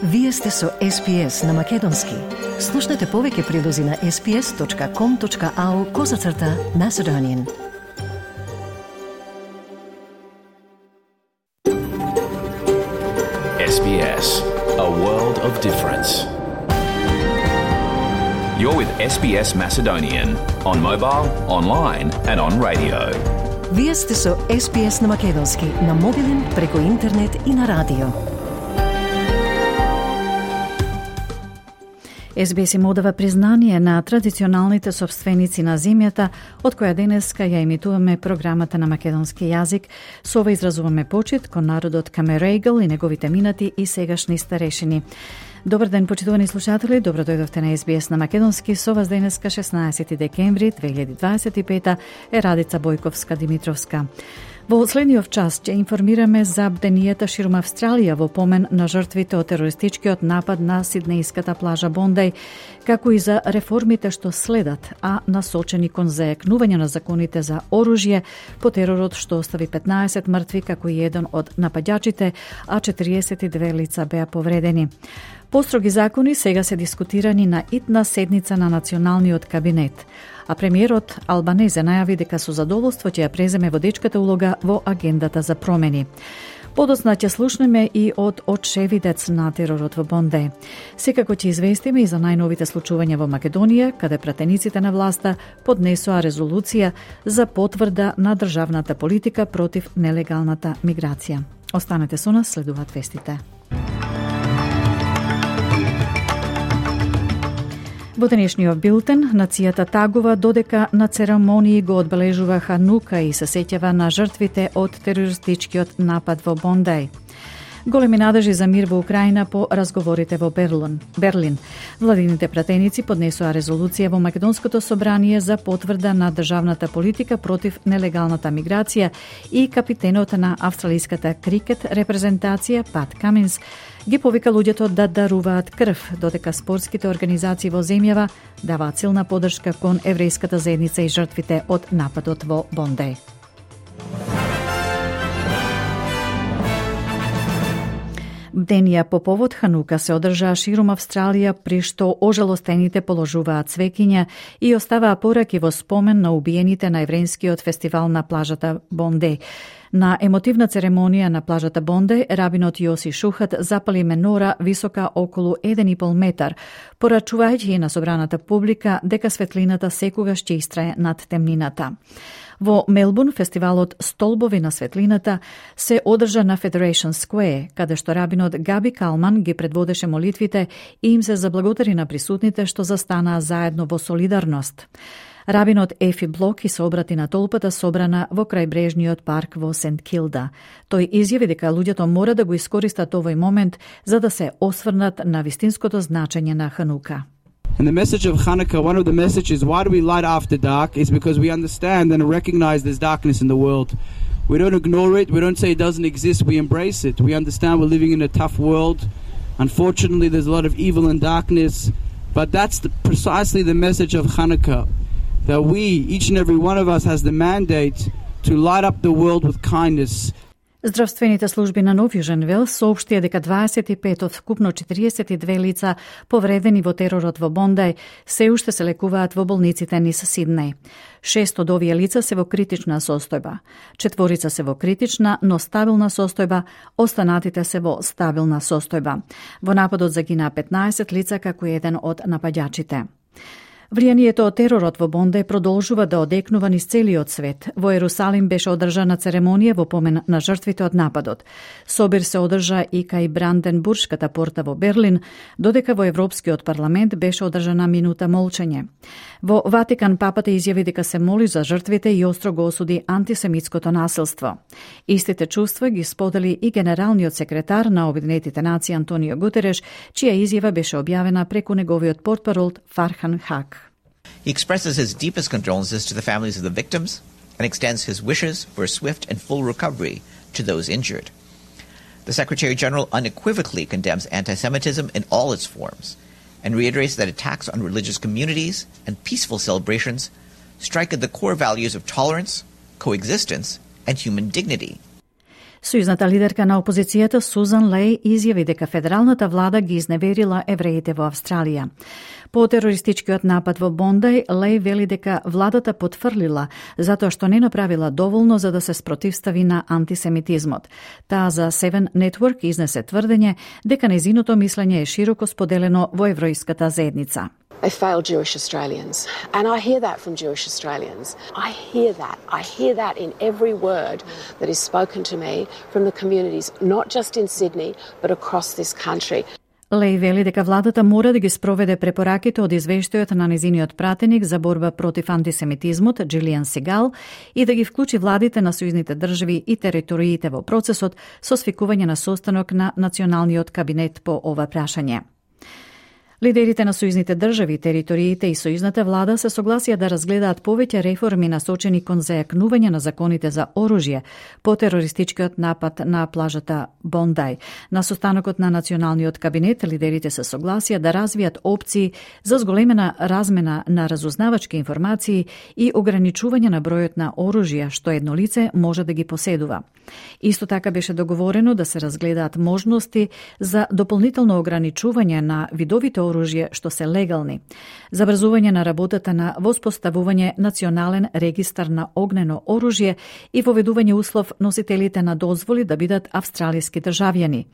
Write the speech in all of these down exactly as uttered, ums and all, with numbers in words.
Вие сте со Ес Би Ес на Македонски. Слушнете повеќе прилози на ес би ес точка ком точка ау козацрта Macedonian. Ес Би Ес, a world of difference. You're with Ес Би Ес Macedonian on mobile, online and on radio. Вие сте со Ес Би Ес на Македонски, на мобилен, преку интернет и на радио. Ес Би Ес им одава признание на традиционалните собственици на земјата, од која денеска ја емитуваме програмата на македонски јазик. Со ова изразуваме почит кон народот Камерегл и неговите минати и сегашни старешини. Добар ден, почитувани слушатели, добро дојдовте на Ес Би Ес на Македонски. Со вас денеска шеснаесети декември две илјади дваесет и пета е Радица Бојковска-Димитровска. Во следниот час ќе информираме за бденијата ширум Австралија во помен на жртвите од терористичкиот напад на сиднејската плажа Бондеј, како и за реформите што следат, а насочени кон зајакнување на законите за оружје по теророт што остави петнаесет мртви, како и еден од нападјачите, а четириесет и две лица беа повредени. Построги закони сега се дискутирани на итна седница на Националниот кабинет, а премиерот Албанезе најави дека со задоволство ќе ја преземе водечката улога во агендата за промени. Подоцна ќе слушнеме и од очевидец на теророт во Бондеј. Секако ќе известиме и за најновите случувања во Македонија, каде пратениците на власта поднесоа резолуција за потврда на државната политика против нелегалната миграција. Останете со нас, следуваат вестите. Во денешниот билтен, нацијата тагува додека на церемонии го одбележува Ханука и се сеќава на жртвите од терористичкиот напад во Бондеј. Големи надежи за мир во Украина по разговорите во Берлин. Берлин. Владините пратеници поднесоа резолуција во Македонското собрание за потврда на државната политика против нелегалната миграција и капитенот на австралиската крикет репрезентација Пат Каминс ги повика луѓето да даруваат крв, додека спортските организации во земјава даваат силна поддршка кон еврејската заедница и жртвите од нападот во Бондеј. Бденија по повод Ханука се одржаа ширум Австралија, при што ожалостените положуваат цвеќиња и оставаа пораки во спомен на убиените на еврејскиот фестивал на плажата Бондеј. На емотивна церемонија на плажата Бондеј, рабинот Јоси Шухат запали менора висока околу еден и пол метар, порачувајќи на собраната публика дека светлината секогаш ќе истрае над темнината. Во Мелбурн, фестивалот Столбови на светлината се одржа на Federation Square, каде што рабинот Габи Калман ги предводеше молитвите и им се заблагодари на присутните што застанаа заедно во солидарност. Рабинот Ефи Блоки се обрати на толпата собрана во крајбрежниот парк во Сент Килда. Тој изјави дека луѓето мора да го искористат овој момент за да се осврнат на вистинското значење на Ханука. And the message of Hanukkah, one of the messages, why do we light after dark, is because we understand and recognize there's darkness in the world. We don't ignore it, we don't say it doesn't exist, we embrace it. We understand we're living in a tough world. Unfortunately, there's a lot of evil and darkness, but that's the, precisely the message of Hanukkah, that we, each and every one of us, has the mandate to light up the world with kindness. Здравствените служби на Нов Јужен Велс соопштија дека дваесет и пет од вкупно четириесет и две лица повредени во теророт во Бондеј се уште се лекуваат во болниците низ Сиднеј. Шест од овие лица се во критична состојба. Четворица се во критична, но стабилна состојба, останатите се во стабилна состојба. Во нападот загинаа петнаесет лица, како еден од нападјачите. Влијанието од теророт во Бондеј продолжува да одекнува низ целиот свет. Во Ерусалим беше одржана церемонија во помен на жртвите од нападот. Собир се одржа и кај Бранденбуршката порта во Берлин, додека во Европскиот парламент беше одржана минута молчење. Во Ватикан папата изјави дека се моли за жртвите и остро го осуди антисемитското насилство. Истите чувства ги сподели и генералниот секретар на Обединетите нации Антонио Гутереш, чија изјава беше објавена преку неговиот портпарол Фархан Хак. He expresses his deepest condolences to the families of the victims and extends his wishes for a swift and full recovery to those injured. The Secretary-General unequivocally condemns anti-Semitism in all its forms and reiterates that attacks on religious communities and peaceful celebrations strike at the core values of tolerance, coexistence, and human dignity. Сојузната лидерка на опозицијата Сузан Леј изјави дека федералната влада ги изневерила евреите во Австралија. По терористичкиот напад во Бондај, Леј вели дека владата потврлила затоа што не направила доволно за да се спротивстави на антисемитизмот. Таа за Seven Network изнесе тврдење дека нејзиното мислење е широко споделено во еврејската заедница. They failed Jewish Australians. And I hear that from Jewish Australians. I hear that. I hear that in every word that is spoken to me from the communities, not just in Sydney, but across this country. Леј вели дека владата мора да ги спроведе препораките од извештајот на незиниот пратеник за борба против антисемитизмот, Джилијан Сегал, и да ги вклучи владите на сојузните држави и териториите во процесот со свикување на состанок на националниот кабинет по ова прашање. Лидерите на сојузните држави, териториите и сојузната влада се согласија да разгледаат повеќе реформи насочени кон зајакнување на законите за оружје по терористичкиот напад на плажата Бондај. На состанокот на националниот кабинет лидерите се согласија да развијат опции за зголемена размена на разузнавачки информации и ограничување на бројот на оружја што едно лице може да ги поседува. Исто така беше договорено да се разгледаат можности за дополнително ограничување на видовите оружје што се легални, забрзување на работата на воспоставување национален регистар на огнено оружје и воведување услов носителите на дозволи да бидат австралиски државјани.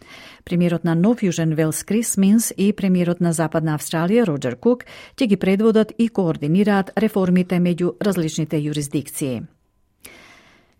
Премиерот на Нов Јужен Велс Крис Минс и премиерот на Западна Австралија Роџер Кук ќе ги предводат и координираат реформите меѓу различните јурисдикции.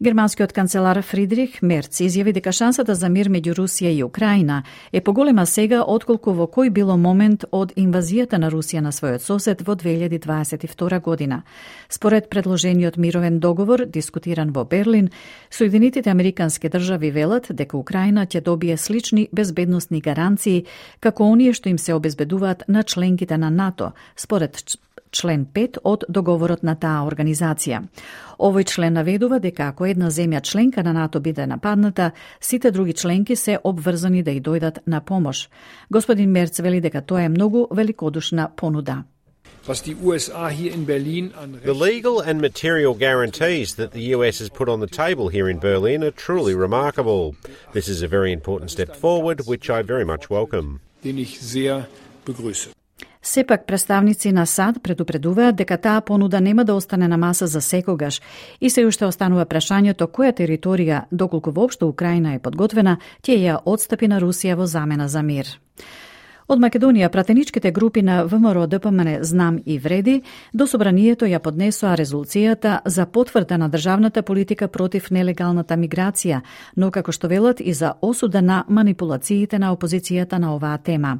Германскиот канцелар Фридрих Мерц изјави дека шансата за мир меѓу Русија и Украина е поголема сега отколку во кој било момент од инвазијата на Русија на својот сосед во две илјади дваесет и втора година. Според предложениот мировен договор, дискутиран во Берлин, Соединетите Американски држави велат дека Украина ќе добие слични безбедносни гаранции како оние што им се обезбедуваат на членките на НАТО, според член пет од договорот на таа организација. Овој член наведува дека ако една земја членка на НАТО биде нападната, сите други членки се обврзани да и дојдат на помош. Господин Мерц вели дека тоа е многу великодушна понуда. The legal and material guarantees that the U S has put on the table here in Berlin are truly remarkable. This is a very important step forward, which I very much welcome. Сепак представници на САД предупредуваат дека таа понуда нема да остане на маса за секогаш и се уште останува прашањето која територија, доколку воопшто Украина е подготвена, ќе ја отстапи на Русија во замена за мир. Од Македонија, пратеничките групи на ВМРО Д П М Н Знам и Вреди до собранието ја поднесоа резолуцијата за потврда на државната политика против нелегалната миграција, но како што велат и за осуда на манипулациите на опозицијата на оваа тема.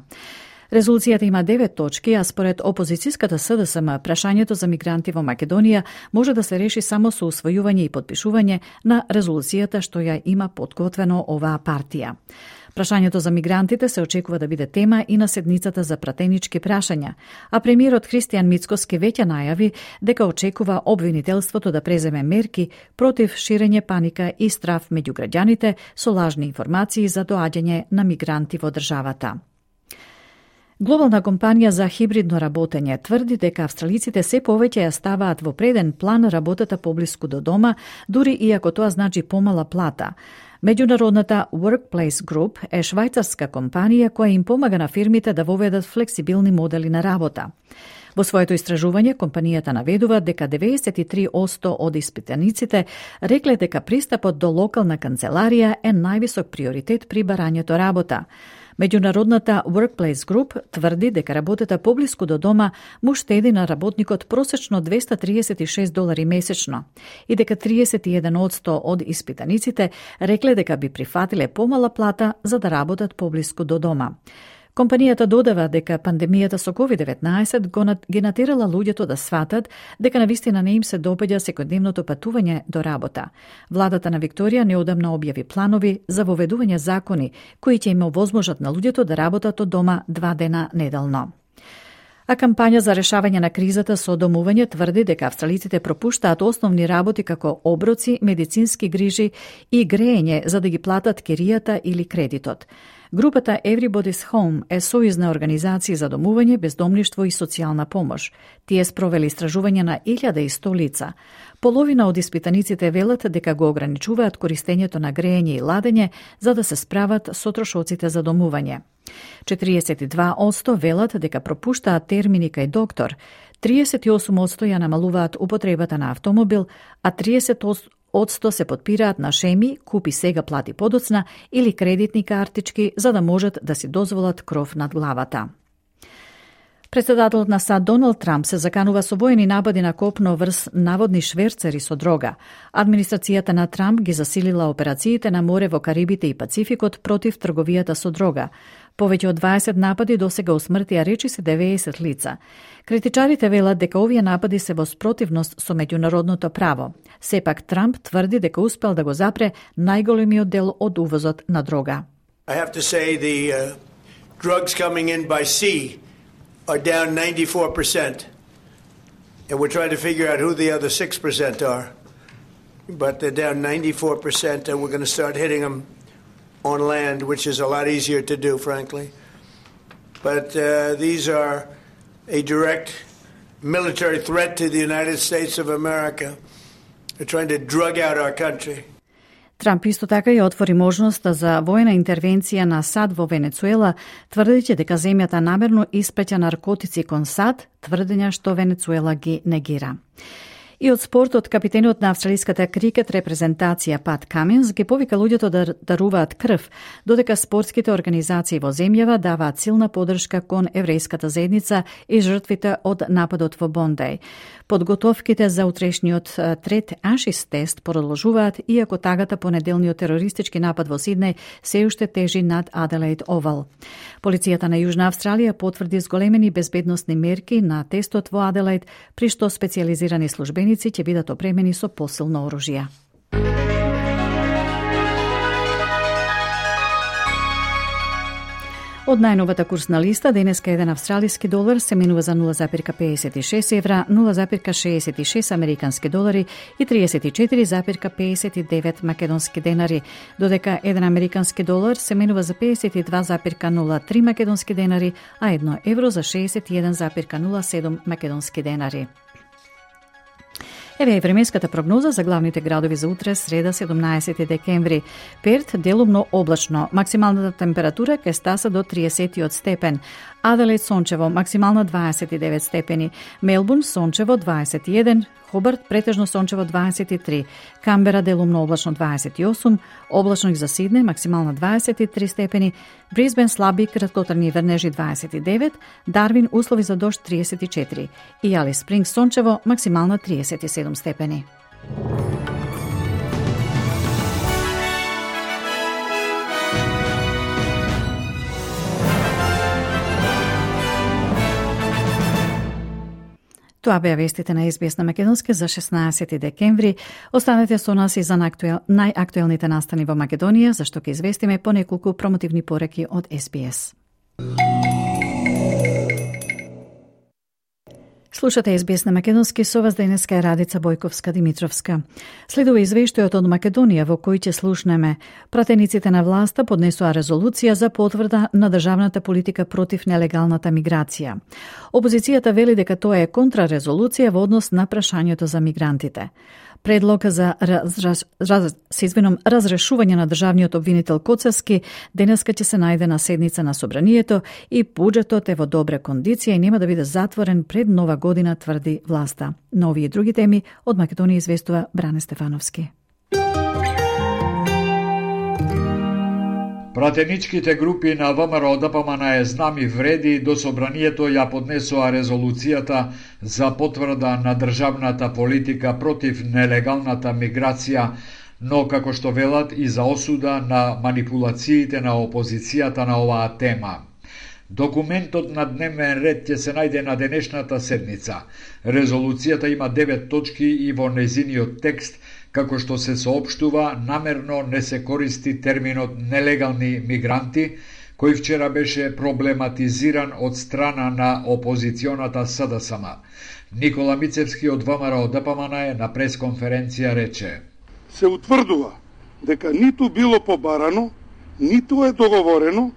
Резолуцијата има девет точки, а според опозицијската С Д С М, прашањето за мигранти во Македонија може да се реши само со усвојување и подпишување на резолуцијата што ја има подготвено оваа партија. Прашањето за мигрантите се очекува да биде тема и на седницата за пратенички прашања, а премиерот Христијан Мицкоски веќе најави дека очекува обвинителството да преземе мерки против ширење паника и страв меѓу граѓаните со лажни информации за доаѓање на мигранти во државата. Глобална компанија за хибридно работење тврди дека австралиците се повеќе ја ставаат во преден план работата поблиску до дома, дури и ако тоа значи помала плата. Меѓународната Workplace Group е швајцарска компанија која им помага на фирмите да воведат флексибилни модели на работа. Во своето истражување, компанијата наведува дека деветдесет и три одсто од испитаниците рекле дека пристапот до локална канцеларија е највисок приоритет при барањето работа. Меѓународната Workplace Group тврди дека работата поблиску до дома му штеди на работникот просечно двеста триесет и шест долари месечно и дека триесет и еден одсто од испитаниците рекле дека би прифатиле помала плата за да работат поблиску до дома. Компанијата додава дека пандемијата со ковид деветнаесет ги натерала луѓето да сватат дека навистина не им се допаѓа секојдневното патување до работа. Владата на Викторија неодамна објави планови за воведување закони кои ќе им овозможат на луѓето да работат од дома два дена неделно. А кампања за решавање на кризата со домување тврди дека австралиците пропуштаат основни работи како оброци, медицински грижи и греење за да ги платат киријата или кредитот. Групата Everybody's Home е сојузна организација за домување, бездомништво и социјална помош. Тие спровели истражување на илјада и сто лица. Половина од испитаниците велат дека го ограничуваат користењето на грејење и ладење за да се справат со трошоците за домување. четириесет и два одсто велат дека пропуштаат термини кај доктор, триесет и осум одсто ја намалуваат употребата на автомобил, а триесет одсто се потпираат на шеми, купи сега, плати подоцна или кредитни картички за да можат да си дозволат кров над главата. Председателот на САД Доналд Трамп се заканува со воени напади на копно врз наводни шверцери со дрога. Администрацијата на Трамп ги засилила операциите на море во Карибите и Пацификот против трговијата со дрога. Повеќе од дваесет напади досега усмртија речиси деветдесет лица. Критичарите велат дека овие напади се во спротивност со меѓународното право. Сепак Трамп тврди дека успел да го запре најголемиот дел од увозот на дрога. I have to say the uh, drugs coming in by sea are down ninety-four percent. And we're trying to figure out who the other six percent are. But they're down ninety-four percent, and we're going to start hitting them on land, which is a lot easier to do, frankly. But uh, these are a direct military threat to the United States of America. They're trying to drug out our country. Трамп исто така ја отвори можноста за воена интервенција на САД во Венецуела, тврдејќи дека земјата намерно испраќа наркотици кон САД, тврдења што Венецуела ги негира. И од спортот, капитенот на австралиската крикет репрезентација Пат Каминс ги повика луѓето да даруваат крв, додека спортските организации во земјава даваат силна подршка кон еврејската заедница и жртвите од нападот во Бондеј. Подготовките за утрешниот трет Ашис тест продолжуваат, иако тагата по неделниот терористички напад во Сиднеј се уште тежи над Аделаид Овал. Полицијата на Јужна Австралија потврди зголемени безбедносни мерки на тестот во Аделаид, при што специјализирани службеници ќе бидат опремени со посилно оружје. Од најновата курсна листа, денеска еден австралиски долар се менува за нула запирка педесет и шест евра, нула запирка шеесет и шест американски долари и триесет и четири запирка педесет и девет македонски денари, додека еден американски долар се менува за педесет и два запирка нула три македонски денари, а едно евро за шеесет и еден запирка нула седум македонски денари. Еве е временската прогноза за главните градови за утре, среда, седумнаесети декември. Перт делумно облачно, максималната температура ќе стаса до триесет степен. Аделаид сончево, максимална дваесет и девет степени. Мелбурн сончево дваесет и еден, Хобарт претежно сончево дваесет и три, Камбера делумно облачно дваесет и осум, облачно и за Сиднеј максимална дваесет и три степени, Брисбен слаби краткотрajни врнежи дваесет и девет, Дарвин услови за дожд триесет и четири и Алис Спрингс сончево максимална триесет и седум степени. Тоа беа вестите на Ес Би Ес на Македонски за шеснаесети декември. Останете со нас и за најактуелните настани во Македонија, зашто ќе известиме по неколку промотивни пореки од Ес Би Ес. Слушате Ес Би Ес на Македонски, со вас денеска е Радица Бојковска-Димитровска. Следува извештајот од Македонија во кој ќе слушнеме. Пратениците на власта поднесоа резолуција за потврда на државната политика против нелегалната миграција. Опозицијата вели дека тоа е контрарезолуција во однос на прашањето за мигрантите. Предлог за раз, раз, раз, извинам, разрешување на државниот обвинител Коцевски денеска ќе се најде на седница на Собранието и буџетот е во добра кондиција и нема да биде затворен пред нова година, тврди власта. На овие и други теми од Македонија известува Бране Стефановски. Пратеничките групи на ВМРО Д П М Н Е знами вреди до Собранието ја поднесоа резолуцијата за потврда на државната политика против нелегалната миграција, но како што велат и за осуда на манипулациите на опозицијата на оваа тема. Документот на дневен ред ќе се најде на денешната седница. Резолуцијата има девет точки и во незиниот текст, како што се соопштува, намерно не се користи терминот нелегални мигранти, кој вчера беше проблематизиран од страна на опозиционата С Д С М. Никола Мицевски од В М Р Д П М Н Е на пресконференција рече: се утврдува дека ниту било побарано, ниту е договорено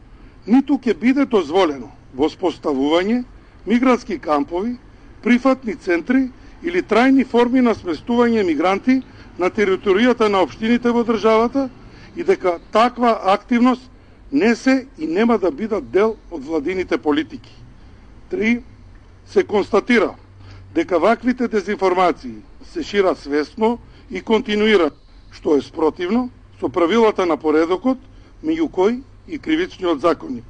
ниту ќе биде дозволено воспоставување мигрантски кампови, прифатни центри или трајни форми на сместување мигранти на територијата на општините во државата и дека таква активност не се и нема да бидат дел од владините политики. Три. Се констатира дека ваквите дезинформации се шират свесно и континуирано, што е спротивно со правилата на поредокот, меѓу кои и кривичниот законник,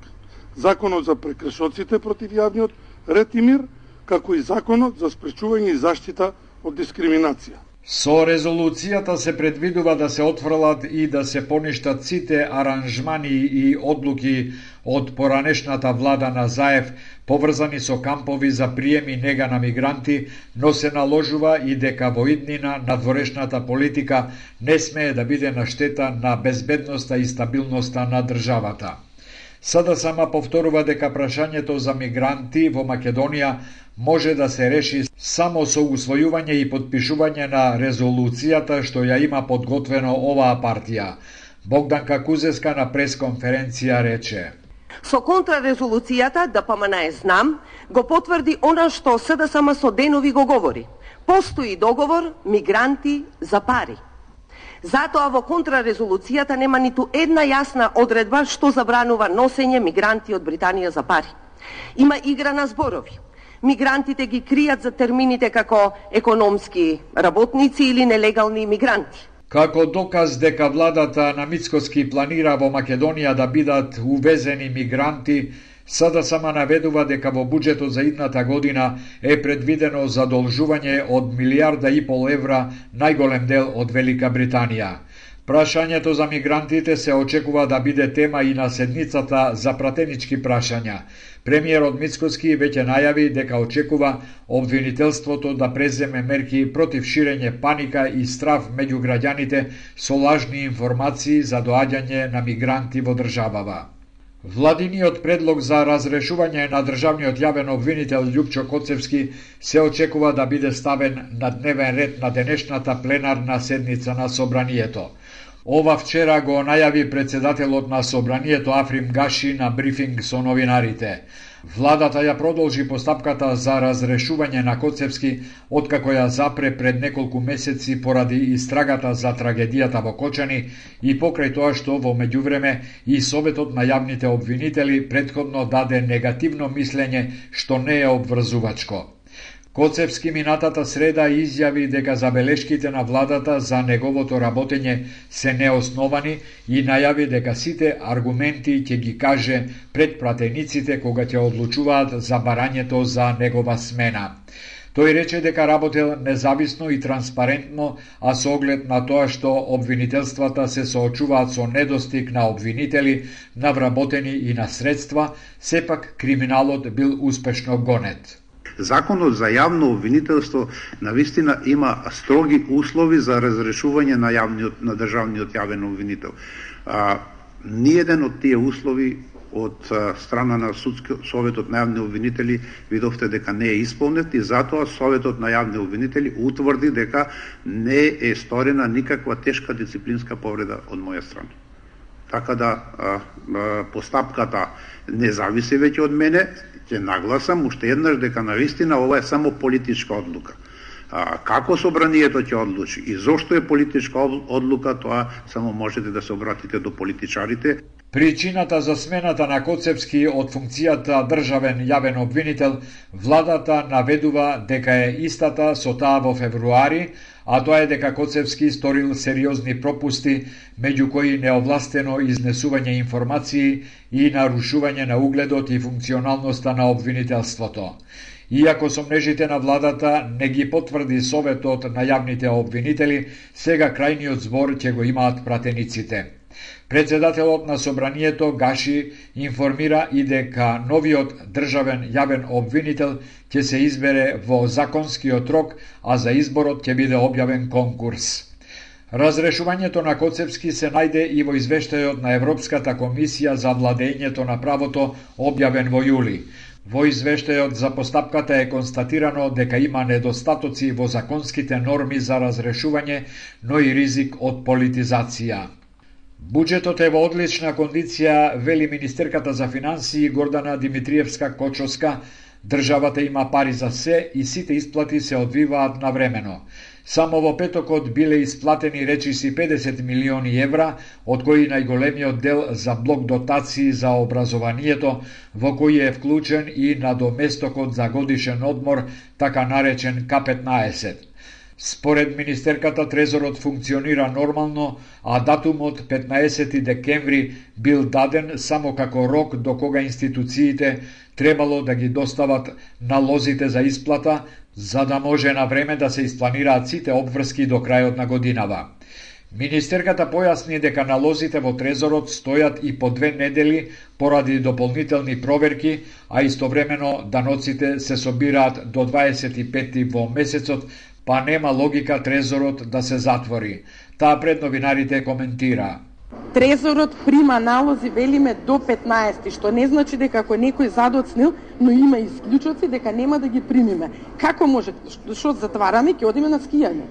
законот за прекршоците против јавниот ред и мир, како и законот за спречување и заштита од дискриминација. Со резолуцијата се предвидува да се отфрлат и да се поништат сите аранжмани и одлуки од поранешната влада на Заев поврзани со кампови за прием и нега на мигранти, но се наложува и дека во иднина надворешната политика не смее да биде на штета на безбедноста и стабилноста на државата. Сада сама повторува дека прашањето за мигранти во Македонија може да се реши само со усвојување и подпишување на резолуцијата што ја има подготвено оваа партија. Богданка Кузеска на пресконференција рече: Со контрарезолуцијата ДПМН знам го потврди она што СДСМ со денови го говори. Постои договор мигранти за пари. Затоа во контрарезолуцијата нема ниту една јасна одредба што забранува носење мигранти од Британија за пари. Има игра на зборови. Мигрантите ги кријат за термините како економски работници или нелегални мигранти. Како доказ дека владата на Мицкоски планира во Македонија да бидат увезени мигранти, сада сама наведува дека во буџетот за идната година е предвидено задолжување од милијарда и пол евра, најголем дел од Велика Британија. Прашањето за мигрантите се очекува да биде тема и на седницата за пратенички прашања. Премиерот Мицкоски веќе најави дека очекува обвинителството да преземе мерки против ширење паника и страв меѓу граѓаните со лажни информации за доаѓање на мигранти во државава. Владиниот предлог за разрешување на државниот јавен обвинител Љупчо Коцевски се очекува да биде ставен на дневен ред на денешната пленарна седница на Собранието. Ова вчера го најави председателот на Собранието Африм Гаши на брифинг со новинарите. Владата ја продолжи постапката за разрешување на Коцевски откако ја запре пред неколку месеци поради истрагата за трагедијата во Кочани и покрај тоа што во меѓувреме и Советот на јавните обвинители претходно даде негативно мислење што не е обврзувачко. Коцевски минатата среда изјави дека забелешките на владата за неговото работење се неосновани и најави дека сите аргументи ќе ги каже пред пратениците кога ќе одлучуваат за барањето за негова смена. Тој рече дека работел независно и транспарентно, а со оглед на тоа што обвинителствата се соочуваат со недостиг на обвинители, на вработени и на средства, сепак криминалот бил успешно гонет. Законот за јавно обвинителство навистина има строги услови за разрешување на јавниот на државниот јавен обвинител. А, ниеден од тие услови од страна на судски Советот на јавни обвинители видовте дека не е исполнет и затоа Советот на јавни обвинители утврди дека не е сторена никаква тешка дисциплинска повреда од моја страна. Така да а, а, постапката не зависи веќе од мене. Ќе нагласам уште еднаш дека навистина ова е само политичка одлука. А, како Собранието ќе одлучи и зошто е политичка одлука, тоа само можете да се обратите до политичарите. Причината за смената на Коцевски од функцијата државен јавен обвинител, владата наведува дека е истата со таа во февруари, а тоа е дека Коцевски сторил сериозни пропусти, меѓу кои неовластено изнесување информации и нарушување на угледот и функционалноста на обвинителството. Иако сомнежите на владата не ги потврди Советот на јавните обвинители, сега крајниот збор ќе го имаат пратениците. Председателот на Собранието Гаши информира и дека новиот државен јавен обвинител ќе се избере во законскиот рок, а за изборот ќе биде објавен конкурс. Разрешувањето на Коцевски се најде и во извештајот на Европската комисија за владењето на правото објавен во јули. Во извештајот за постапката е констатирано дека има недостатоци во законските норми за разрешување, но и ризик од политизација. Буџетот е во одлична кондиција, вели министерката за финансии Гордана Димитриевска-Кочовска. Државата има пари за се и сите исплати се одвиваат навремено. Само во петокот биле исплатени речиси педесет милиони евра, од кои најголемиот дел за блок дотации за образованието, во кој е вклучен и надоместокот за годишен одмор, така наречен К петнаесет. Според министерката, трезорот функционира нормално, а датумот петнаесети декември бил даден само како рок до кога институциите требало да ги достават налозите за исплата, за да може на време да се испланираат сите обврски до крајот на годинава. Министерката појасни дека налозите во трезорот стојат и по две недели поради дополнителни проверки, а истовремено даноците се собираат до дваесет и пети во месецот, па нема логика трезорот да се затвори. Таа пред новинарите коментира. Трезорот прима налози, велиме, до петнаесети, што не значи дека ако некој задоцнил, но има исклучоци, дека нема да ги примиме. Како може? Што затвараме, ќе одиме на скијање.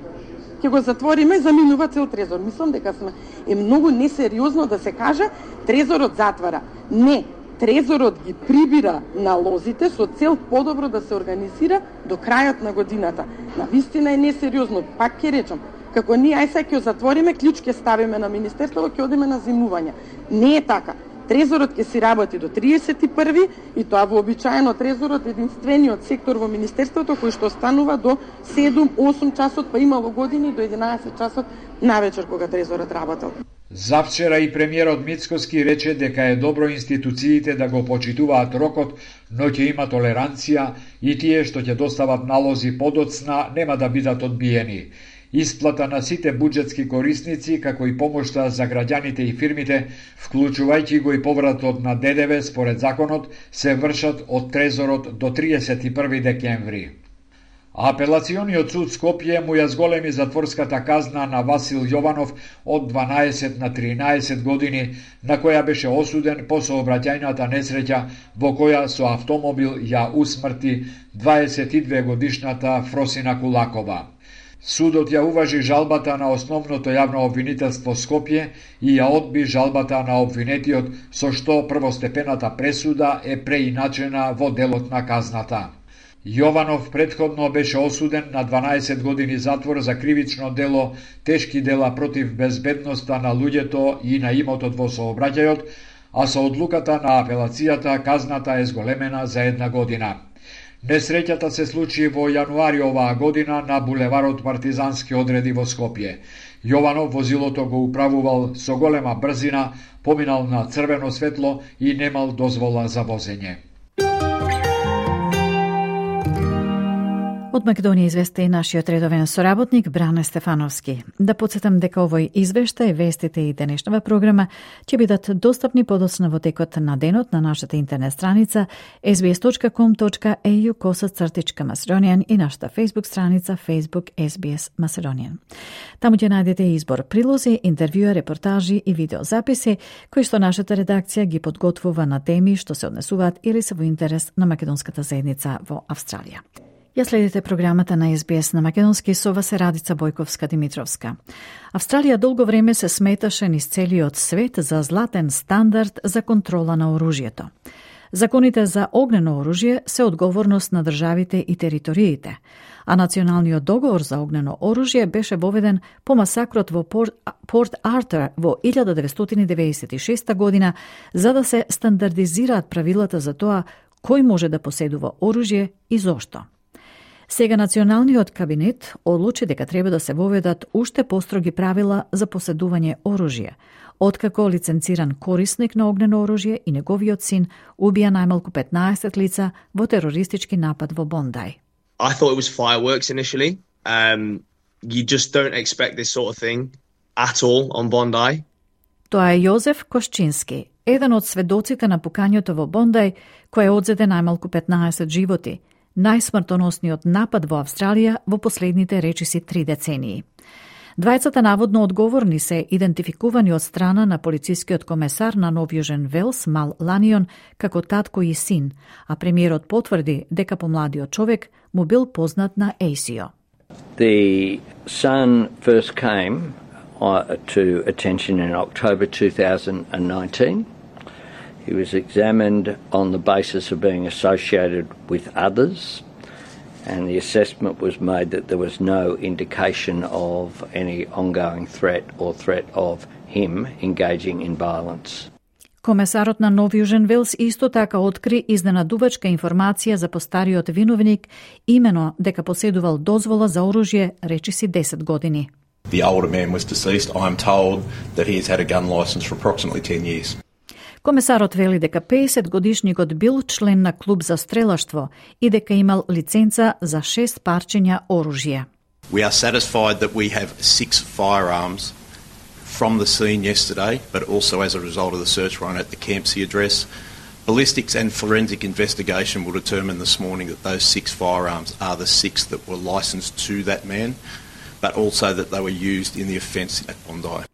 Ќе го затвориме, заминува цел трезор. Мислам дека сме е многу несериозно да се каже трезорот затвара. Не, трезорот ги прибира налозите со цел подобро да се организира до крајот на годината. Навистина е несериозно, пак ќе речам. Како ние ај сега ќе затвориме, клjuč ќе ставиме на министерството, ќе одиме на зимување. Не е така. Трезорот ќе си работи до триесет и први и тоа вообичаено трезорот е единствениот сектор во министерството кој што станува до седум-осум часот, па имало години до единаесет часот навечер кога трезорот работел. Завчера и премиерот Мицкоски рече дека е добро институциите да го почитуваат рокот, но ќе има толеранција и тие што ќе достават налози подоцна нема да бидат одбиени. Исплата на сите буџетски корисници, како и помошта за граѓаните и фирмите, вклучувајќи го и повратот на Д Д В според законот, се вршат од трезорот до триесет и први декември. Апелациониот суд Скопје му ја зголеми затворската казна на Васил Јованов од дванаесет на тринаесет години, на која беше осуден по сообраќајната несреќа во која со автомобил ја усмрти дваесет и две годишната Фросина Кулакова. Судот ја уважи жалбата на основното јавно обвинителство Скопје и ја одби жалбата на обвинетиот, со што првостепената пресуда е преиначена во делот на казната. Јованов претходно беше осуден на дванаесет години затвор за кривично дело, тешки дела против безбедноста на луѓето и на имотот во сообраќајот, а со одлуката на апелацијата казната е зголемена за една година. Несреќата се случи во јануари оваа година на булеварот Партизански одреди во Скопје. Јованов возилото го управувал со голема брзина, поминал на црвено светло и немал дозвола за возење. Од Македонија извести и нашиот редовен соработник Бране Стефановски. Да подсетам дека овој извештај, вестите и денешнава програма ќе бидат достапни подоцна во текот на денот на нашата интернет страница ес би ес точка ком точка е ю косацртичка Macedonian и нашата Facebook страница Facebook ес би ес Macedonian. Таму ќе најдете избор прилози, интервјуа, репортажи и видеозаписи кои што нашата редакција ги подготвува на теми што се однесуваат или се во интерес на македонската заедница во Австралија. Ја следите програмата на ес би ес на македонски, со вас е Радица Бојковска-Димитровска. Австралија долго време се сметаше низ целиот свет за златен стандард за контрола на оружјето. Законите за огнено оружје се одговорност на државите и териториите, а националниот договор за огнено оружје беше воведен по масакрот во Порт, Порт Артур во илјада деветстотини деветдесет и шеста година, за да се стандардизираат правилата за тоа кој може да поседува оружје и зошто. Сега националниот кабинет одлучи дека треба да се воведат уште построги правила за поседување оружје, откако лиценциран корисник на огнено оружје и неговиот син убија најмалку петнаесет лица во терористички напад во Бондај. I thought it was fireworks initially. Um, you just don't expect this sort of thing at all on Bondi. Тоа е Јозеф Кошчински, еден од сведоците на пукањето во Бондај, кој одзеде најмалку петнаесет животи, најсмртоносниот напад во Австралија во последните речиси три децении. Двајцата наводно одговорни се идентификувани од страна на полицискиот комесар на Нов Јужен Велс, Мал Ланион, како татко и син, а премиерот потврди дека помладиот човек му бил познат на Ей Си О. The son first came uh, to attention in October two thousand nineteen. He was examined on the basis of being associated with others, and the assessment was made that there was no indication of any ongoing threat or threat of him engaging in violence. Комесарот на Нов Јужен Велс исто така откри изненадувачка информација за постариот виновник, имено дека поседувал дозвола за оружје речиси десет години. The older man was deceased. I'm told that he has had a gun license for approximately ten years. Комесарот вели дека пеесет годишникот бил член на клуб за стрелаштво и дека имал лиценца за шест парчиња оружје. We are satisfied that we have six firearms from the scene yesterday, but also as a result of the search warrant at the Campsie address. Ballistics and forensic investigation will determine this morning that those six firearms are the six that were licensed to that man, but also that they were used in the offence at Bondi.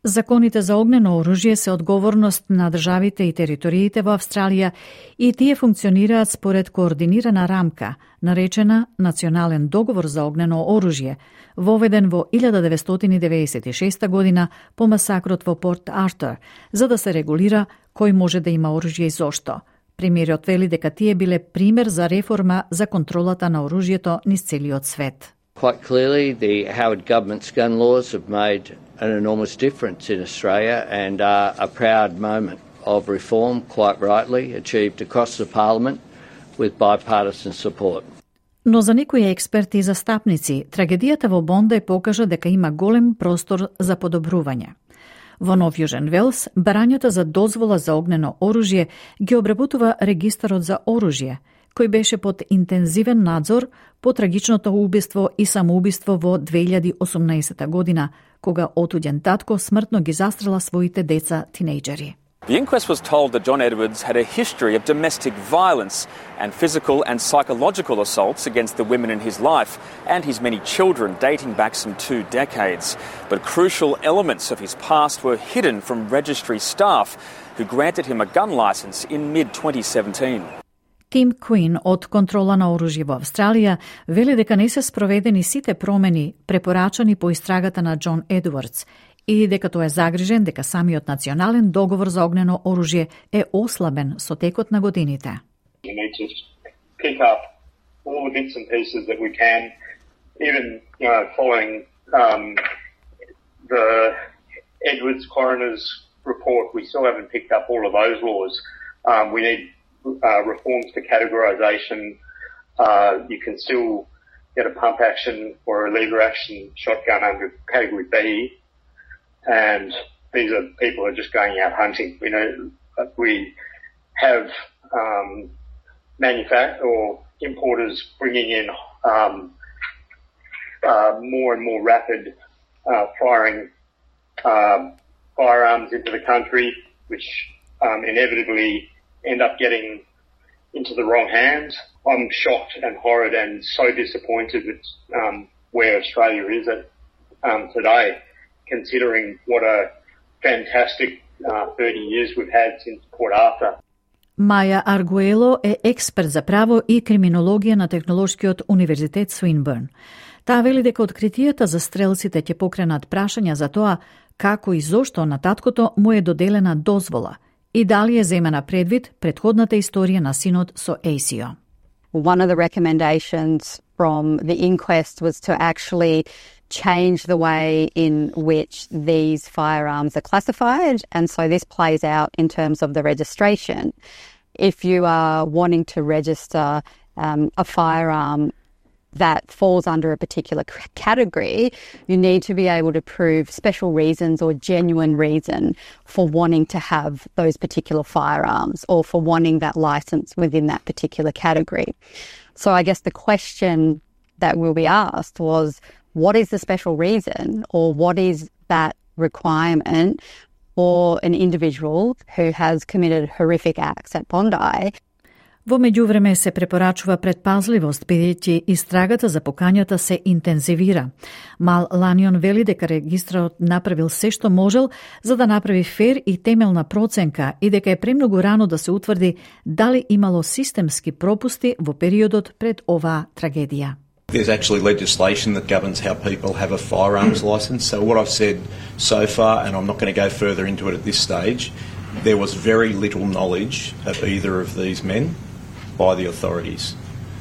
Законите за огнено оружје се одговорност на државите и териториите во Австралија и тие функционираат според координирана рамка, наречена Национален договор за огнено оружје, воведен во илјада деветстотини деветдесет и шеста година по масакрот во Порт Артур, за да се регулира кој може да има оружје и зошто. Премиерот вели дека тие биле пример за реформа за контролата на оружјето низ целиот свет. Quite clearly, the Howard government's gun laws have made an enormous difference in Australia and are a proud moment of reform, quite rightly, achieved across the Parliament with bipartisan support. Но за некои експерти и застапници, трагедијата во Бонди покажа дека има голем простор за подобрување. Во Нов Јужен Велс, барањата за дозвола за огнено оружје ги обработува регистарот за оружје, кој беше под интензивен надзор по трагичното убиство и самоубиство во две илјади и осумнаесета година, кога отуѓен татко смртно ги застрела своите деца тинејџери. The inquest was told that John Edwards had a history of domestic violence and physical and psychological assaults against the women in his life and his many children dating back some two decades. But crucial elements of his past were hidden from registry staff who granted him a gun licence in mid twenty seventeen. Тим Куин од контрола на оружје во Австралија вели дека не се спроведени сите промени препорачани по истрагата на Џон Едвардс и дека тој е загрижен дека самиот национален договор за огнено оружје е ослабен со текот на годините. We need to pick up all the bits and pieces that we can, even you know, following um, the Edwards coroner's report. We still haven't picked up all of those laws. Um, we need Uh, reforms to categorisation. Uh, you can still get a pump action or a lever action shotgun under category B, and these are people who are just going out hunting. We know we have um, manufacturers or importers bringing in um, uh, more and more rapid uh, firing uh, firearms into the country, which um, inevitably end up getting into the wrong hands. I'm shocked and horrid and so disappointed with um, where Australia is at um, today, considering what a fantastic uh, thirty years we've had since Port Arthur. Маја Аргуело е експерт за право и криминологија на Технолошкиот универзитет Свинбърн. Таа вели дека откритијата за стрелците ќе покренат прашања за тоа како и зошто на таткото му е доделена дозвола и дали е земена предвид предходната историја на синот со А С И О. One of the recommendations from the inquest was to actually change the way in which these firearms are classified, and so this plays out in terms of the registration. If you are wanting to register um, a firearm that falls under a particular c- category, you need to be able to prove special reasons or genuine reason for wanting to have those particular firearms or for wanting that license within that particular category. So I guess the question that will be asked was, what is the special reason or what is that requirement for an individual who has committed horrific acts at Bondi? Во меѓувреме се препорачува предпазливост, бидејќи истрагата за покањата се интензивира. Мал Ланион вели дека регистрот направил се што можел за да направи фер и темелна проценка и дека е премногу рано да се утврди дали имало системски пропусти во периодот пред оваа трагедија. There's actually legislation that governs how people have a firearms licence. So what I've said so far, and I'm not going to go further into it at this stage, there was very little knowledge of either of these men by the authorities.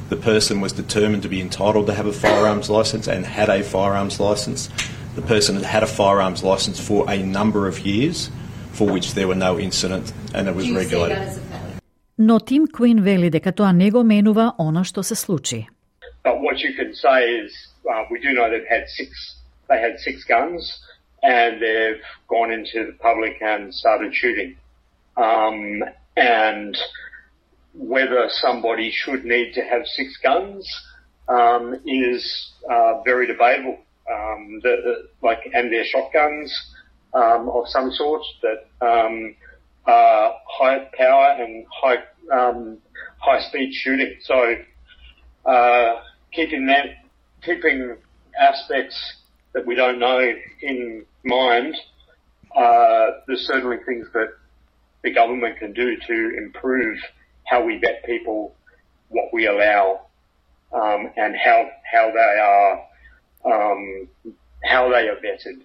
The person was determined to be entitled to have a firearms licence and had a firearms licence. The person had had a firearms licence for a number of years, for which there were no incident and it was regulated. Но Тим Куин вели дека тоа не го менува она што се случи. But what you can say is, uh, we do know they've had six, they had six guns, and they've gone into the public and started shooting. Um, and whether somebody should need to have six guns um, is uh, very debatable. Um, the, the, like, and they're shotguns um, of some sort that um, are high power and high um, high speed shooting. So. Uh, keeping that, keeping aspects that we don't know in mind, uh, there's certainly things that the government can do to improve how we vet people, what we allow, um, and how how they are um, how they are vetted.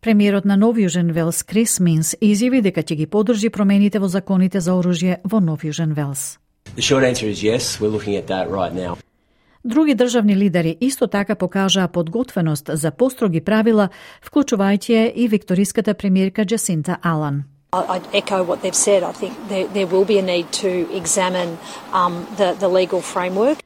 Премиерот на Нов Јужен Велс Крис Минс изјави дека ќе ги поддржи промените во законите за оружје во Нов Јужен Велс. The short answer is yes, we're looking at that right now. Други државни лидери исто така покажаа подготвеност за построги правила, вклучувајќи и викториската премиерка Джасинта Алан. I'd echo what they've said. I think there, there will be a need to examine um, the, the legal framework.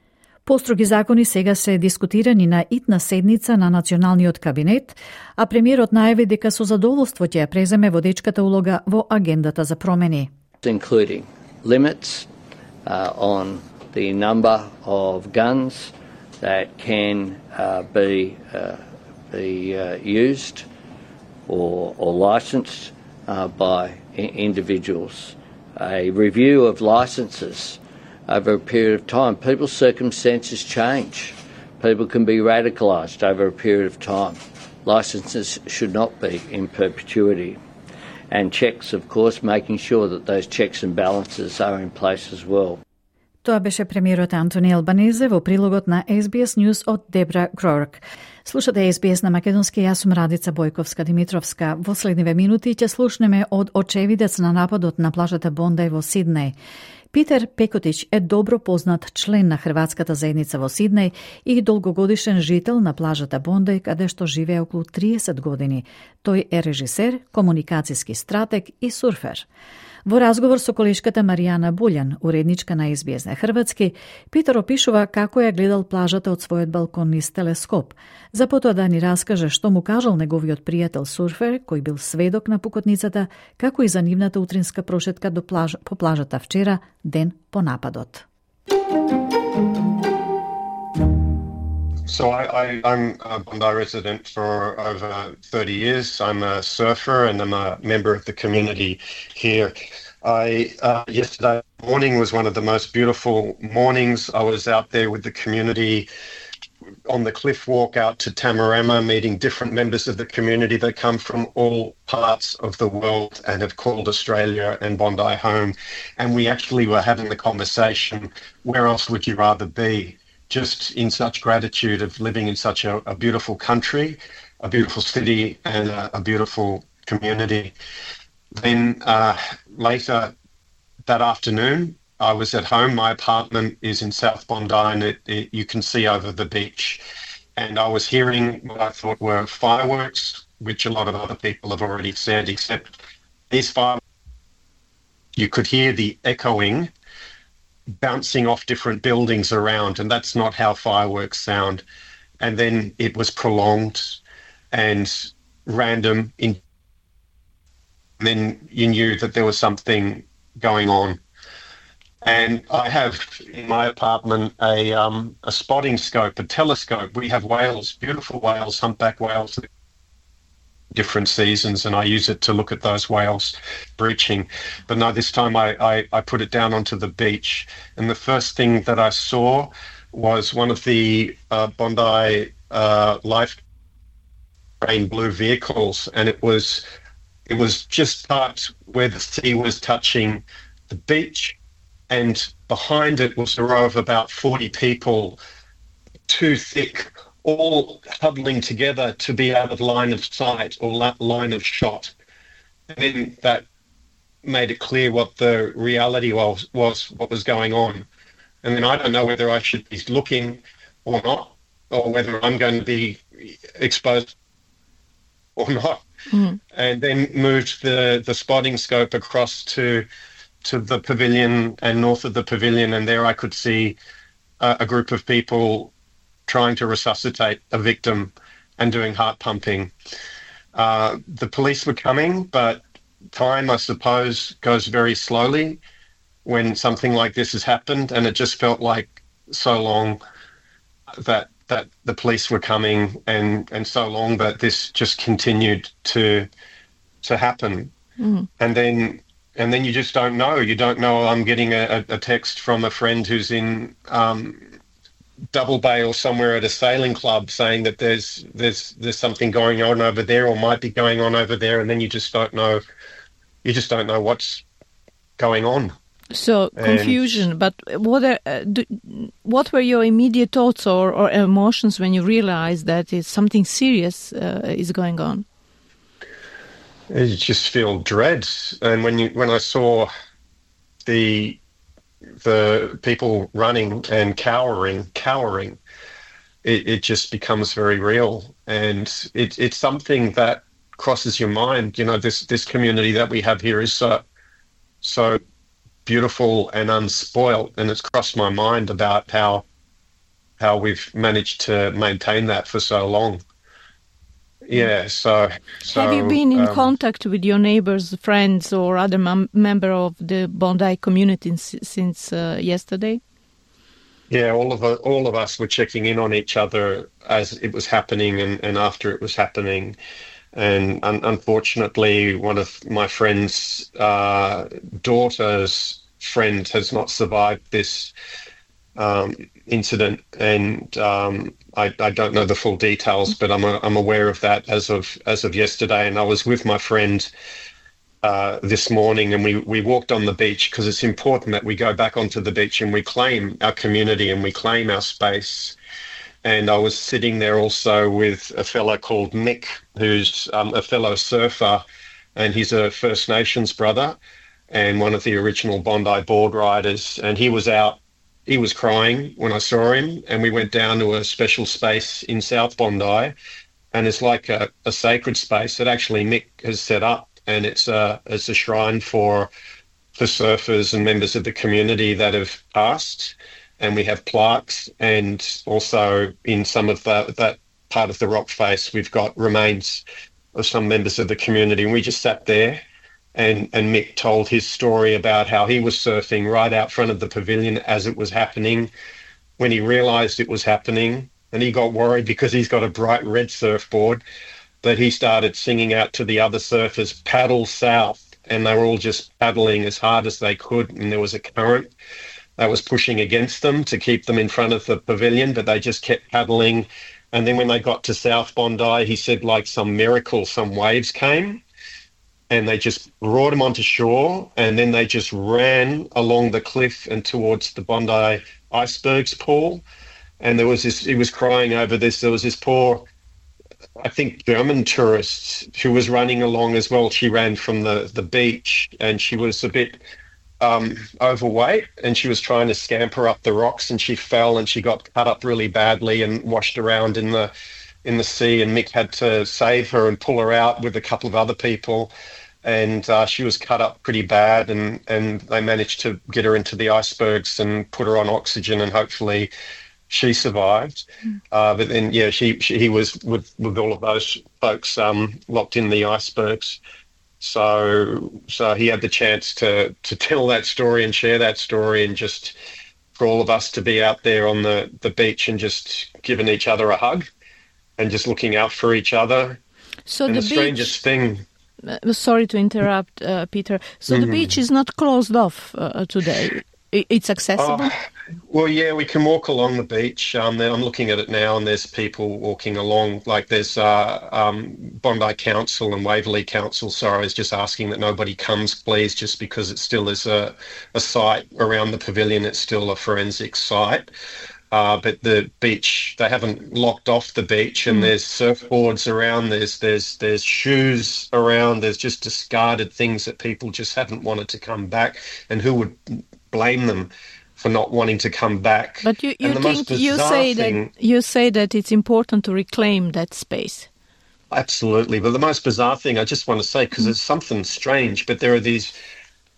Построги закони сега се дискутирани на итна седница на Националниот кабинет, а премиерот најави дека со задоволство ќе ја преземе водечката улога во агендата за промени. Including limits uh, on the number of guns that can uh, be uh, be uh, used or, or licensed uh, by I- individuals. A review of licences over a period of time. People's circumstances change. People can be radicalised over a period of time. Licences should not be in perpetuity. And checks, of course, making sure that those checks and balances are in place as well. Тоа беше премиерот Антони Албанезе во прилогот на Ес Би Ес News од Дебра Грорк. Слушате Ес Би Ес на македонски, јас сум Радица Бојковска-Димитровска. Во следниве минути ќе слушнеме од очевидец на нападот на плажата Бондај во Сиднеј. Питер Пекотич е добро познат член на хрватската заедница во Сиднеј и долгогодишен жител на плажата Бондај, каде што живее околу триесет години. Тој е режисер, комуникацијски стратег и сурфер. Во разговор со колешката Маријана Булјан, уредничка на Ес Би Ес на хрватски, Питер опишува како ја гледал плажата од својот балкон низ телескоп. За потоа да ни раскаже што му кажал неговиот пријател сурфер, кој бил сведок на пукотницата, како и за нивната утринска прошетка до плаж, по плажата вчера, ден по нападот. So I, I, I'm a Bondi resident for over thirty years. I'm a surfer and I'm a member of the community here. I uh, yesterday morning was one of the most beautiful mornings. I was out there with the community on the cliff walk out to Tamarama, meeting different members of the community that come from all parts of the world and have called Australia and Bondi home. And we actually were having the conversation, where else would you rather be? Just in such gratitude of living in such a, a beautiful country, a beautiful city, and a, a beautiful community. Then uh, later that afternoon, I was at home. My apartment is in South Bondi, and it, it, you can see over the beach. And I was hearing what I thought were fireworks, which a lot of other people have already said, except these fireworks, you could hear the echoing bouncing off different buildings around, and that's not how fireworks sound. And then it was prolonged and random, in, and then you knew that there was something going on. And I have in my apartment a um, a spotting scope, a telescope. We have whales, beautiful whales, humpback whales, different seasons, and I use it to look at those whales breaching. But no, this time I, I, I put it down onto the beach, and the first thing that I saw was one of the uh, Bondi uh, life rain blue vehicles, and it was it was just parked where the sea was touching the beach, and behind it was a row of about forty people too thick, all huddling together to be out of line of sight or line of shot. And then that made it clear what the reality was, was what was going on. And then I don't know whether I should be looking or not, or whether I'm going to be exposed or not. Mm-hmm. And then moved the, the spotting scope across to to the pavilion and north of the pavilion, and there I could see uh, a group of people trying to resuscitate a victim and doing heart pumping. Uh, the police were coming, but time, I suppose, goes very slowly when something like this has happened, and it just felt like so long that that the police were coming, and, and so long that this just continued to to happen. Mm. And then and then you just don't know. You don't know. I'm getting a, a text from a friend who's in um, Double Bay or somewhere at a sailing club saying that there's there's there's something going on over there, or might be going on over there, and then you just don't know. You just don't know what's going on. So confusion. And, but what are, uh, do, what were your immediate thoughts or, or emotions when you realized that it's something serious uh, is going on? You just feel dread, and when you when I saw the the people running and cowering, cowering, it, it just becomes very real, and it, it's something that crosses your mind. You know, this this community that we have here is so so beautiful and unspoilt, and it's crossed my mind about how how we've managed to maintain that for so long. Yeah, so, so... Have you been in um, contact with your neighbors, friends, or other mem- member of the Bondi community s- since uh, yesterday? Yeah, all of, all of us were checking in on each other as it was happening and, and after it was happening. And un- unfortunately, one of my friend's uh, daughter's friend has not survived this um, incident, and um, I, I don't know the full details, but I'm a, I'm aware of that as of as of yesterday. And I was with my friend uh, this morning, and we, we walked on the beach because it's important that we go back onto the beach and we claim our community and we claim our space. And I was sitting there also with a fellow called Mick, who's um, a fellow surfer, and he's a First Nations brother and one of the original Bondi board riders. And he was out. He was crying when I saw him, and we went down to a special space in South Bondi, and it's like a, a sacred space that actually Mick has set up, and it's a it's a shrine for for surfers and members of the community that have passed, and we have plaques, and also in some of the, that part of the rock face we've got remains of some members of the community, and we just sat there. And, and Mick told his story about how he was surfing right out front of the pavilion as it was happening, when he realised it was happening, and he got worried because he's got a bright red surfboard, that he started singing out to the other surfers, paddle south, and they were all just paddling as hard as they could, and there was a current that was pushing against them to keep them in front of the pavilion, but they just kept paddling. And then when they got to South Bondi, he said like some miracle, some waves came, and they just brought him onto shore, and then they just ran along the cliff and towards the Bondi icebergs pool. And there was this, he was crying over this, there was this poor, I think, German tourist who was running along as well. She ran from the, the beach, and she was a bit um, overweight, and she was trying to scamper up the rocks, and she fell, and she got cut up really badly and washed around in the in the sea, and Mick had to save her and pull her out with a couple of other people. And uh, she was cut up pretty bad, and, and they managed to get her into the icebergs and put her on oxygen, and hopefully she survived. Mm. Uh, but then, yeah, she, she he was with, with all of those folks um, locked in the icebergs. So so he had the chance to, to tell that story and share that story, and just for all of us to be out there on the, the beach and just giving each other a hug and just looking out for each other. So and the, the strangest beach... thing... Uh, sorry to interrupt, uh, Peter. So mm-hmm. the beach is not closed off uh, today. It's accessible? Uh, well, yeah, we can walk along the beach. Um, I'm looking at it now, and there's people walking along. Like there's uh, um, Bondi Council and Waverley Council. Sorry, I was just asking that nobody comes, please, just because it still is a, a site around the pavilion. It's still a forensic site. Uh, but the beach, they haven't locked off the beach, and mm. there's surfboards around, there's there's there's shoes around, there's just discarded things that people just haven't wanted to come back, and who would blame them for not wanting to come back? But you, you think you say thing, that you say that it's important to reclaim that space. Absolutely, but the most bizarre thing I just want to say, because mm. it's something strange, but there are these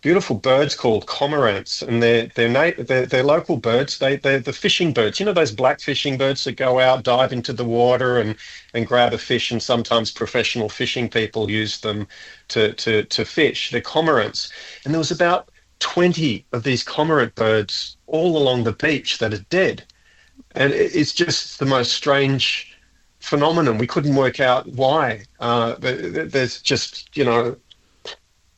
beautiful birds called cormorants, and they're they're, na- they're they're local birds. They they're the fishing birds. You know those black fishing birds that go out, dive into the water, and, and grab a fish. And sometimes professional fishing people use them to to to fish. They're cormorants, and there was about twenty of these cormorant birds all along the beach that are dead, and it's just the most strange phenomenon. We couldn't work out why. Uh, there's just you know.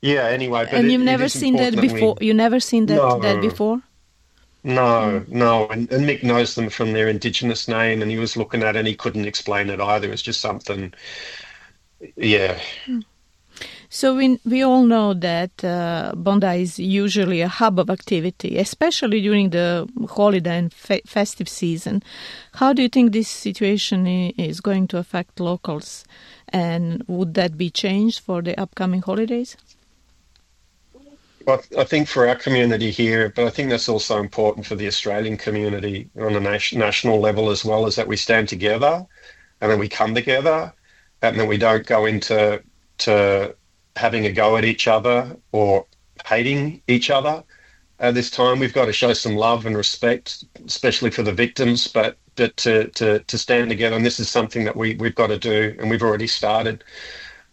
Yeah, anyway. But and it, you've never seen that before? You never seen that, no, that before? No, mm. no. And, and Mick knows them from their Indigenous name, and he was looking at it and he couldn't explain it either. It was just something, yeah. Mm. So we we all know that uh, Bondi is usually a hub of activity, especially during the holiday and fe- festive season. How do you think this situation is going to affect locals? And would that be changed for the upcoming holidays? Well, I think for our community here, but I think that's also important for the Australian community on a nation, national level as well, is that we stand together and then we come together and then we don't go into to having a go at each other or hating each other. At this time, we've got to show some love and respect, especially for the victims, but but to, to, to stand together. And this is something that we, we've got to do, and we've already started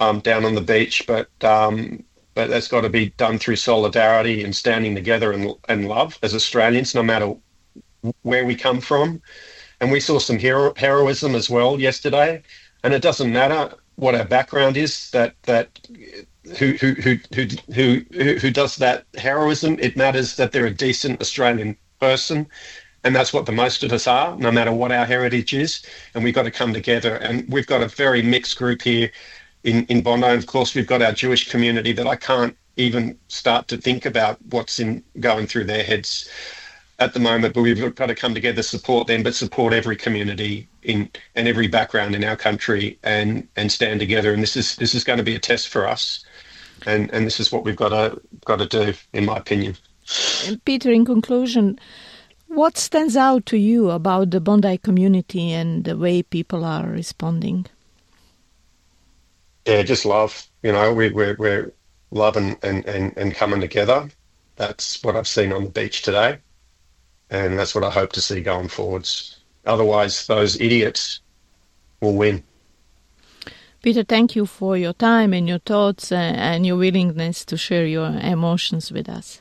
um, down on the beach, but um, but that's got to be done through solidarity and standing together and, and love as Australians, no matter where we come from. And we saw some hero, heroism as well yesterday, and it doesn't matter what our background is, that that who who who who who, who does that heroism. It matters that they're a decent Australian person. And that's what the most of us are, no matter what our heritage is. And we've got to come together. And we've got a very mixed group here in, in Bondi. And of course, we've got our Jewish community that I can't even start to think about what's in going through their heads at the moment. But we've got to come together, support them, but support every community in and every background in our country, and, and stand together. And this is this is going to be a test for us. And and this is what we've got to got to do, in my opinion. And Peter, in conclusion, what stands out to you about the Bondi community and the way people are responding? Yeah, just love. You know, we, we're we're loving and, and, and coming together. That's what I've seen on the beach today, and that's what I hope to see going forwards. Otherwise, those idiots will win. Peter, thank you for your time and your thoughts and your willingness to share your emotions with us.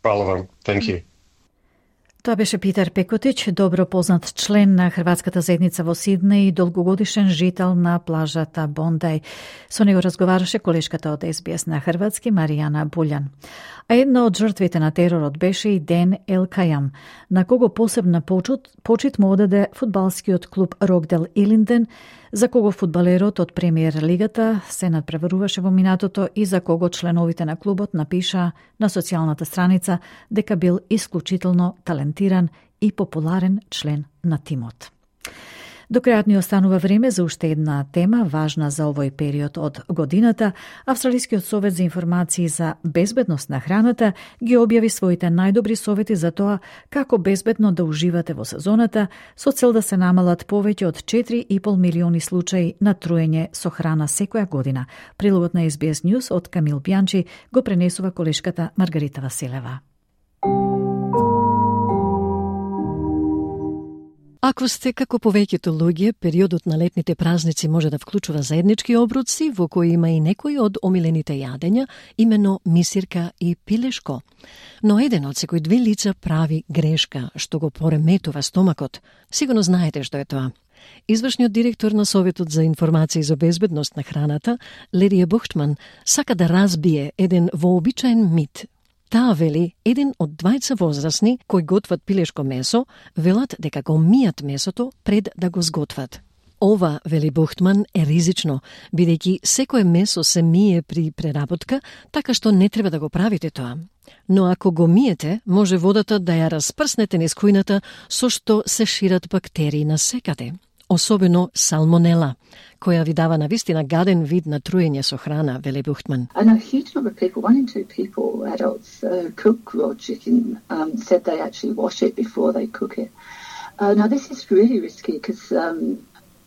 Hvala vam. Thank you. Тоа беше Питер Пекотич, добро познат член на Хрватската заедница во Сиднеј и долгогодишен жител на плажата Бондеј. Со него разговараше колешката од Ес Би Ес на хрватски Маријана Булјан. А една од жртвите на теророт беше и Ден Елкајам, на кого посебна почит, почит му одаде фудбалскиот клуб Рокдел Илинден, за кого фудбалерот од премиер лигата се надпреваруваше во минатото и за кого членовите на клубот напиша на социјалната страница дека бил исклучително талентиран и популарен член на тимот. До крајот ни останува време за уште една тема важна за овој период од годината. Австралискиот совет за информации за безбедност на храната ги објави своите најдобри совети за тоа како безбедно да уживате во сезоната, со цел да се намалат повеќе од четири и пол милиони случаи на труење со храна секоја година. Прилогот на Ес Би Ес News од Камил Бјанчи го пренесува колешката Маргарита Василева. Ако сте како повеќето луѓе, периодот на летните празници може да вклучува заеднички обруци, во кои има и некои од омилените јадења, имено мисирка и пилешко. Но еден од секој две лица прави грешка, што го пореметува стомакот. Сигурно знаете што е тоа. Извршниот директор на Советот за информации за безбедност на храната, Лерија Бухтман, сака да разбие еден вообичаен мит. Таа вели, еден од двајца возрасни кои готват пилешко месо, велат дека го мијат месото пред да го сготват. Ова, вели Бухтман, е ризично, бидејќи секое месо се мие при преработка, така што не треба да го правите тоа. Но ако го миете, може водата да ја распрснете низ кујната со што се шират бактерии насекаде, особено салмонела, која ви дава навистина гаден вид на труење со храна, вели Бухтман. I know a huge number of people, one in two people, adults, uh, cook raw chicken, um, said they actually wash it before they cook it. Uh, now this is really risky because um,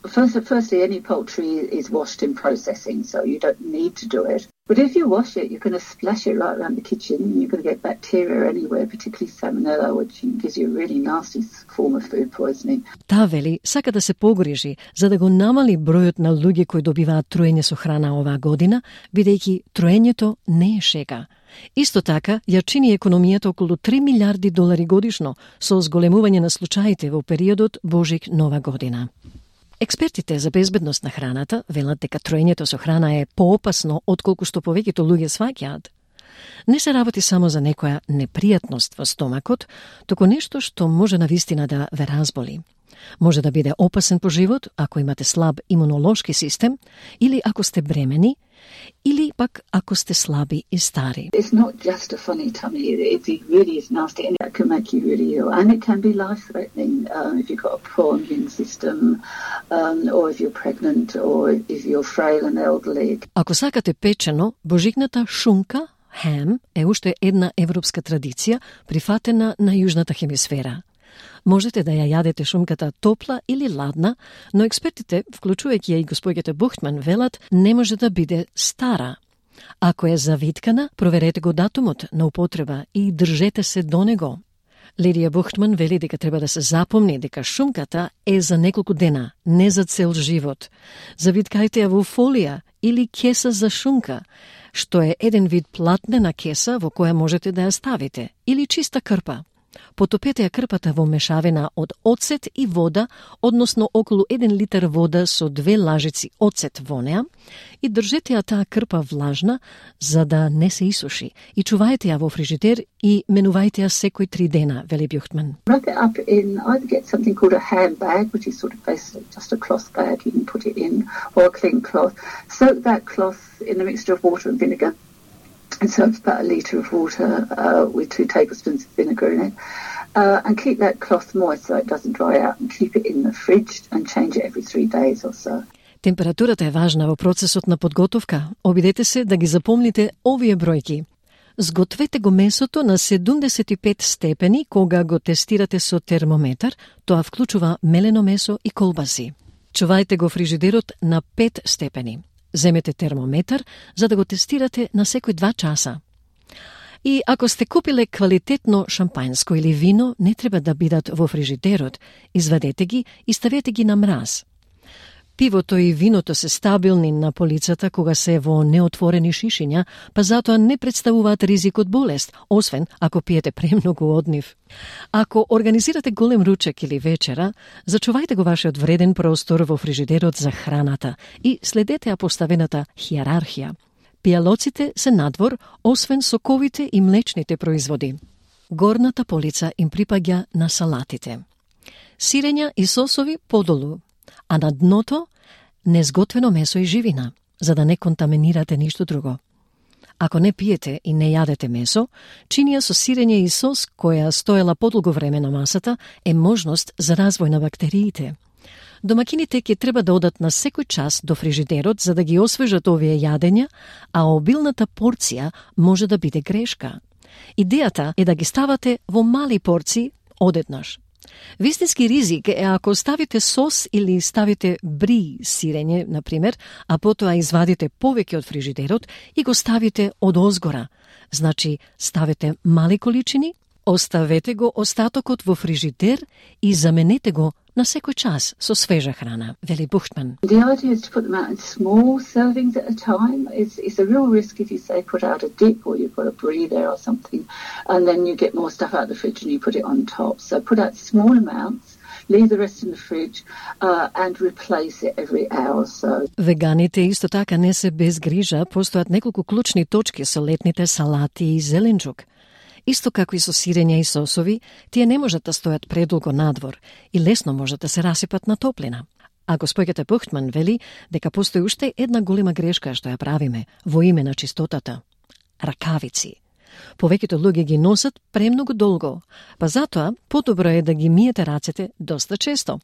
First, firstly, any poultry is washed in processing, so you don't need to do it. But if you wash it, you're going to splash it right around the kitchen, and you're going to get bacteria anywhere, particularly salmonella, which gives you a really nasty form of food poisoning. Таа вели сака да се погрижи за да го намали бројот на луѓе кои добиваат труење со храна оваа година, бидејќи труењето не е шега. Исто така, ја чини економијата околу три милиарди долари годишно со зголемување на случаите во периодот Божик-Нова година. Експертите за безбедност на храната велат дека труењето со храна е поопасно отколку што повеќето луѓе сваќаат. Не се работи само за некоја непријатност во стомакот, туку нешто што може навистина да ве разболи. Може да биде опасен по живот ако имате слаб имунолошки систем, или ако сте бремени, или пак ако сте слаби и стари. It's not just a funny tummy, it really is nasty and it can make you really ill and it can be life-threatening um, if you've got a poor immune system um, or if you're pregnant or if you're frail and elderly. Ако сакате печено, божикната шунка, хем, е уште една европска традиција прифатена на јужната хемисфера. Можете да ја јадете шунката топла или ладна, но експертите, вклучувајќи ја и господјата Бухтман, велат не може да биде стара. Ако е завиткана, проверете го датумот на употреба и држете се до него. Лидија Бухтман вели дека треба да се запомни дека шунката е за неколку дена, не за цел живот. Завиткајте ја во фолија или кеса за шунка, што е еден вид платнена кеса во која можете да ја ставите, или чиста крпа. Потопете ја крпата во мешавина од оцет и вода, односно околу еден литар вода со две лажици оцет во неа, и држете ја таа крпа влажна за да не се исуши и чувајте ја во фрижидер и менувајте ја секој три дена, вели Бухтман. Wrap it up in, either get something called a handbag, which is sort of basically just a cloth bag you can put it in, or a clean cloth. Soak that cloth in a mixture of water and vinegar. And so it's about a litre of water uh, with two tablespoons of vinegar in it. Uh, and keep that cloth moist so it doesn't dry out and keep it in the fridge and change it every three days or so. Температурата е важна во процесот на подготовка. Обидете се да ги запомните овие бројки. Сгответе го месото на седумдесет и пет степени кога го тестирате со термометар, тоа вклучува мелено месо и колбаси. Чувајте го фрижидерот на пет степени. Земете термометар за да го тестирате на секој два часа. И ако сте купиле квалитетно шампањско или вино, не треба да бидат во фрижидерот. Извадете ги и ставете ги на мраз. Пивото и виното се стабилни на полицата кога се во неотворени шишиња, па затоа не представуваат ризик од болест, освен ако пиете премногу од нив. Ако организирате голем ручек или вечера, зачувајте го вашиот вреден простор во фрижидерот за храната и следете ја поставената хиерархија. Пијалоците се надвор, освен соковите и млечните производи. Горната полица им припаѓа на салатите. Сирења и сосови подолу, а на дното незготвено месо и живина, за да не контаминирате ништо друго. Ако не пиете и не јадете месо, чинија со сирење и сос која стоела подолго време на масата е можност за развој на бактериите. Домакините ќе треба да одат на секој час до фрижидерот за да ги освежат овие јадења, а обилната порција може да биде грешка. Идејата е да ги ставате во мали порции одеднаш. Вистински ризик е ако ставите сос или ставите бри сирење, например, а потоа извадите повеќе од фрижидерот и го ставите од озгора. Значи, ставете мали количини, оставете го остатокот во фрижидер и заменете го на секој час со свежа храна, вели Бухтман. The idea is to put them out in small servings at a time. It's, it's a real risk if you say put out a dip or you've got a brie there or something, and then you get more stuff out of the fridge and you put it on top. So put out small amounts, leave the rest in the fridge uh, and replace it every hour or so. Веганите исто така не се без грижа, постојат неколку клучни точки со летните салати и зеленчук. Исто како и со сирења и сосови, тие не можат да стојат предолго надвор и лесно можат да се расипат на топлина. А господјата Бухтман вели дека постои уште една голема грешка што ја правиме во име на чистотата. Ракавици. Повеќето луѓе ги носат премногу долго, па затоа подобро е да ги миете рацете доста често.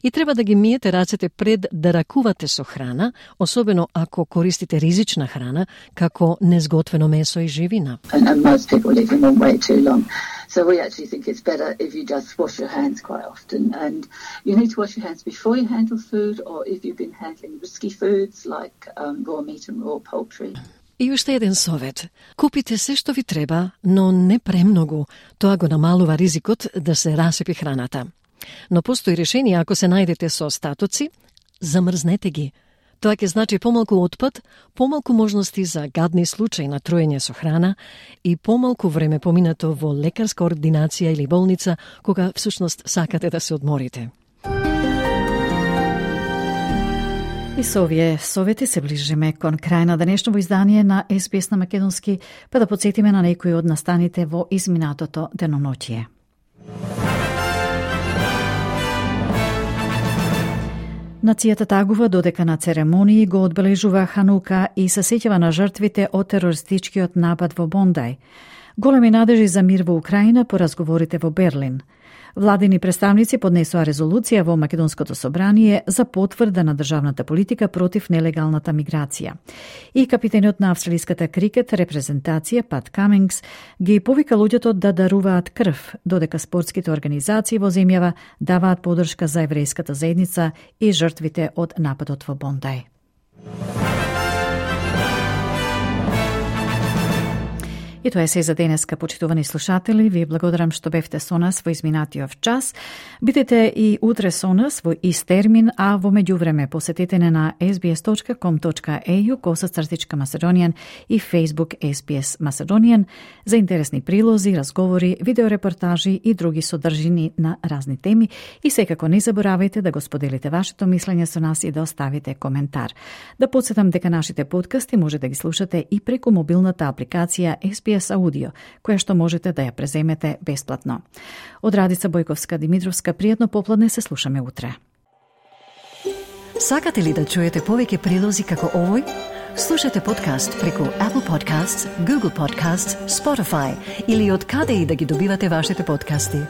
И треба да ги миете рацете пред да ракувате со храна, особено ако користите ризична храна, како незготвено месо и живина. And, and most people leave them on way too long. So we actually think it's better if you just wash your hands quite often. And you need to wash your hands before you handle food, or if you've been handling risky foods like um, raw meat and raw poultry. И уште еден совет. Купите се што ви треба, но не премногу. Тоа го намалува ризикот да се расипи храната. Но постои решение ако се најдете со остатоци, замрзнете ги. Тоа ќе значи помалку отпад, помалку можности за гадни случаи на труење со храна и помалку време поминато во лекарска ординација или болница, кога всушност сакате да се одморите. И со овие совети се ближиме кон крај на денешното издание на Ес Би Ес на македонски, па да подсетиме на некои од настаните во изминатото деноноќие. Нацијата тагува додека на церемонии го одбележува Ханука и се сеќава на жртвите од терористичкиот напад во Бондај. Големи надежи за мир во Украина по разговорите во Берлин. Владини представници поднесоа резолуција во Македонското собрание за потврда на државната политика против нелегалната миграција. И капитенот на австралиската крикет репрезентација Пат Камингс ги повика луѓето да даруваат крв, додека спортските организации во земјава даваат поддршка за еврејската заедница и жртвите од нападот во Бондај. И тоа е се за денеска, почитувани слушатели. Ви благодарам што бевте со нас во изминатиот час. Бидете и утре со нас во ист термин, а во меѓувреме посетете не на ес би ес точка ком точка е ю косацртичка Macedonian и Facebook Ес Би Ес Macedonian за интересни прилози, разговори, видеорепортажи и други содржини на разни теми. И секако не заборавајте да го споделите вашето мислење со нас и да оставите коментар. Да подсетам дека нашите подкасти може да ги слушате и преку мобилната апликација Ес Би Ес Аудио, која што можете да ја преземете бесплатно. Од Радица Бојковска-Димитровска, пријатно попладне, се слушаме утре. Сакате ли да чуете повеќе прилози како овој? Слушате подкаст преку Apple Podcasts, Google Podcasts, Spotify или од каде и да ги добивате вашите подкасти.